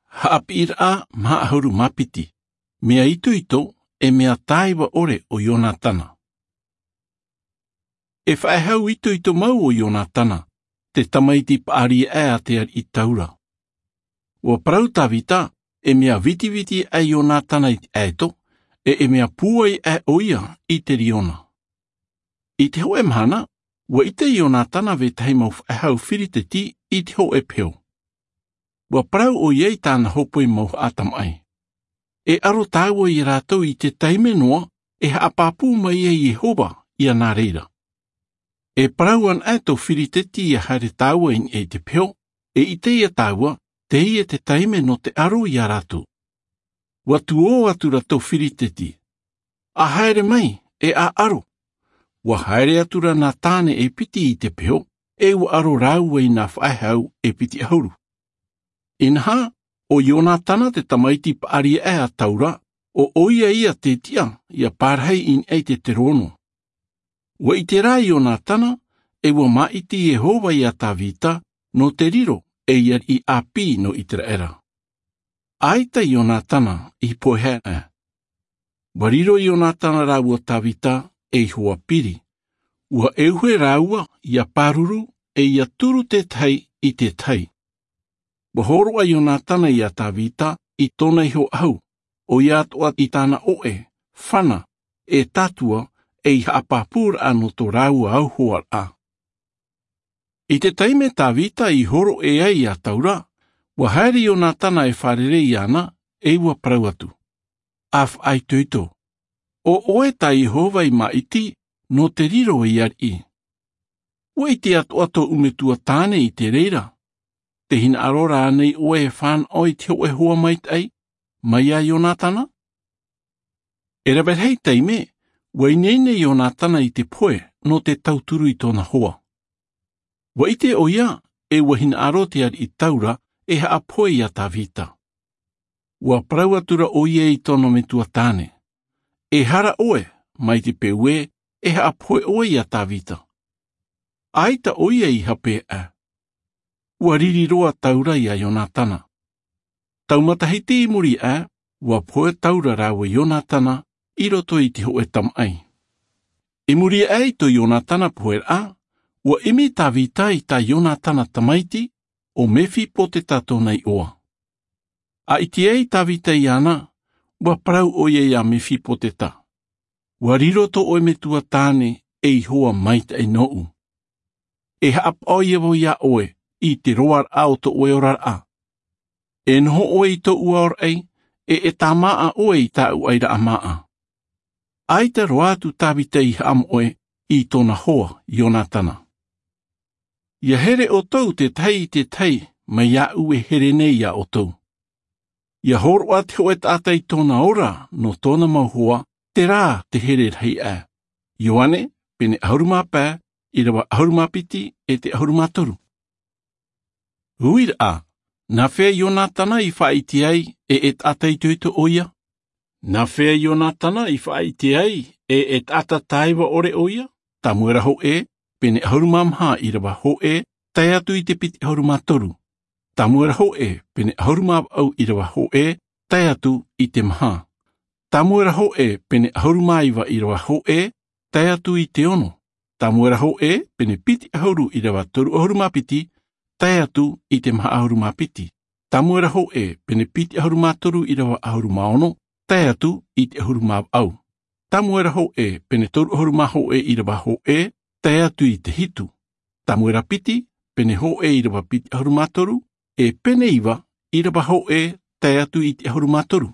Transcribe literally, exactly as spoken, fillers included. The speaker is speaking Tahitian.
Haʻapiʻiraʻa maha ʻahuru mā piti. Mea itoito e mea tāiva ʻore o ionatana. E faʻehau itoito mau o ionatana, te tamaiti paʻari aʻe a te ariʻi taura. Ua parau tavita, e mea vitiviti aʻe ionatana i te ʻaeto, e e mea pūai aʻe ʻo ia i te riona. I te hoʻe mahana, ua ʻite ionatana vetahi mau faʻehau firiteti i te hoʻe peho. Ua parau ʻo ia i tāna hōpoi mau haʻatamaʻi, e aro tāua iā rātou i te taime noa e haʻapāpū mai ai iehova iā nā reira. E parau ana aʻe tō firiteti ia haere tāua i niʻa i te peho, e ʻite ia tāua teie te taime nō te aro iā rātou. Ua tuō atu rā tō firiteti, a haere mai e a aro. Ua haere atu rā nā tāne e piti i te peho, e ua aro rāua i nā faʻehau e piti ʻahuru. Inaha, o ionatana te tamaiti paʻari aʻe a taura, o ʻo ia ia te tiʻa ia parahi i niʻa i te terono. Ua ʻite rā ionatana, e ua māʻiti iehova iā tavita nō te riro ei ariʻi ʻāpī nō iseraela. ʻAita ionatana i pohe aʻe. Ua riro ionatana rāua tavita ei hoa piri. Ua ʻeuhe rāua ia pāruru, e ia turu tētahi i tētahi. Ua hōroʻa ionatana iā tavita i tōna iho ʻahu, ʻo ia atoʻa i tāna ʻoʻe, fana, e tātua, ei haʻapāpūraʻa nō tō rāua auhoaraʻa. I te taime tavita i hōroʻa ai iā taura, ua haere ionatana e fārerei iāna, e ua parau atu, a faʻaitoito, o ʻoe tā iehova i māʻiti nō te riro ei ariʻi. Ua ʻite atoʻa tōʻu metua tāne i te reira. Te hinaʻaro rānei ʻoe e fānaʻo i te hoʻe hoa maitaʻi mai iā ionatana? E rave rahi taime, ua ineine ionatana i te pohe nō te tauturu i tōna hoa. Ua ʻite ʻo ia, e ua hinaʻaro te ariʻi taura e haʻapohe iā tavita. Ua parau atu rā ʻo ia i tōna metua tāne, e hara ʻoe, mai te peu ē e haʻapohe ʻoe iā tavita. ʻAita ʻo ia i hape aʻe. Ua riri roa taura iā ionatana. Tau matahiti i muri aʻe, ua pohe taura rāua ionatana i roto i te hoʻe tamaʻi. I muri aʻe i tō ionatana poheraʻa, ua ʻimi tavita i tā ionatana tamaiti, ʻo mefipoteta tōna iʻoa. A ʻite ai tavita iāna, ua parau ʻo ia iā mefipoteta, ua riro tō ʻoe metua tāne ei hoa maitaʻi nōʻu. E haʻapaʻo ia vau iā ʻoe i te roaraʻa o tō ʻoe oraraʻa. E noho ʻoe i tōʻu aoraʻi, e e tāmāʻa ʻoe i tāʻu ʻairaʻa māʻa. ʻAita roa atu tavita i haʻamoʻe i tōna hoa ionatana. Ia here ʻoutou tētahi i tētahi mai iāʻu e here nei iā ʻoutou. Ia hōroʻa te hoʻe taʻata i tōna ora nō tōna mau hoa, terā te here rahi aʻe. Ioane, pene ʻahuru mā pae, ʻīrava ʻahuru mā piti e te ʻahuru mā toru. Uiraʻa, nā hea ionatana i faʻaʻite ai e e taʻata itoito ʻo ia? Nā hea ionatana i faʻaʻite ai e e taʻata tāiva ʻore ʻo ia? Tamuera hoʻē, pene ʻahuru mā maha ʻīrava hoʻē, tae atu i te piti ʻahuru mā toru. Tamuera hoʻē, pene ʻahuru mā vaʻu ʻīrava hoʻē, tae atu i te maha. Tamuera hoʻē, pene ʻahuru mā iva ʻīrava hoʻē, tae atu i te ono. Tamuera hoʻē, pene piti ʻahuru ʻīrava toru ʻahuru mā piti, tae atu i te maha ʻahuru mā piti. Tamuera hoʻē, pene piti ʻahuru mā toru ʻīrava ʻahuru mā ono, tae atu i te ʻahuru mā vaʻu. Tamuera hoʻē, pene toru ʻahuru mā hoʻē ʻīrava hoʻē, tae atu i te hitu. Tamuera piti, pene hoʻē ʻīrava piti ʻahuru mā toru, e pene iva ʻīrava hoʻē, tae atu i te ʻahuru mā toru.